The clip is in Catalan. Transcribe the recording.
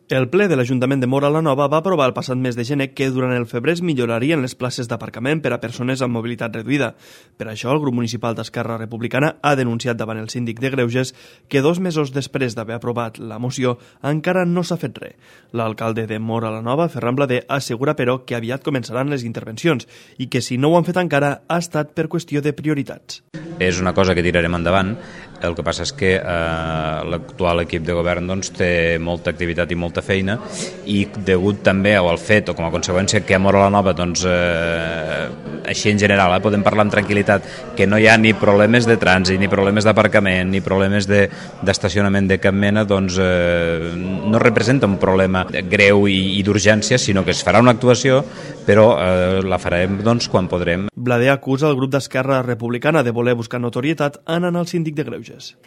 El ple de l'Ajuntament de Móra la Nova va aprovar el passat mes de gener que durant el febrer es millorarien les places d'aparcament per a persones amb mobilitat reduïda. Per això, el grup municipal d'Esquerra Republicana ha denunciat davant el síndic de Greuges que 2 mesos després d'haver aprovat la moció encara no s'ha fet res. L'alcalde de Móra la Nova, Ferran Blader, assegura però que aviat començaran les intervencions i que si no ho han fet encara ha estat per qüestió de prioritats. És una cosa que tirarem endavant. El que passa és que l'actual equip de govern té molta activitat i molta feina, i degut també al fet o com a conseqüència que a Móra la Nova així en general podem parlar amb tranquil·litat que no hi ha ni problemes de trànsit, ni problemes d'aparcament, ni problemes d'estacionament de cap mena, no representa un problema greu i d'urgència, sinó que es farà una actuació, però la farem quan podrem. Blader acusa el grup d'Esquerra Republicana de voler buscar notorietat anant al síndic de Greuges.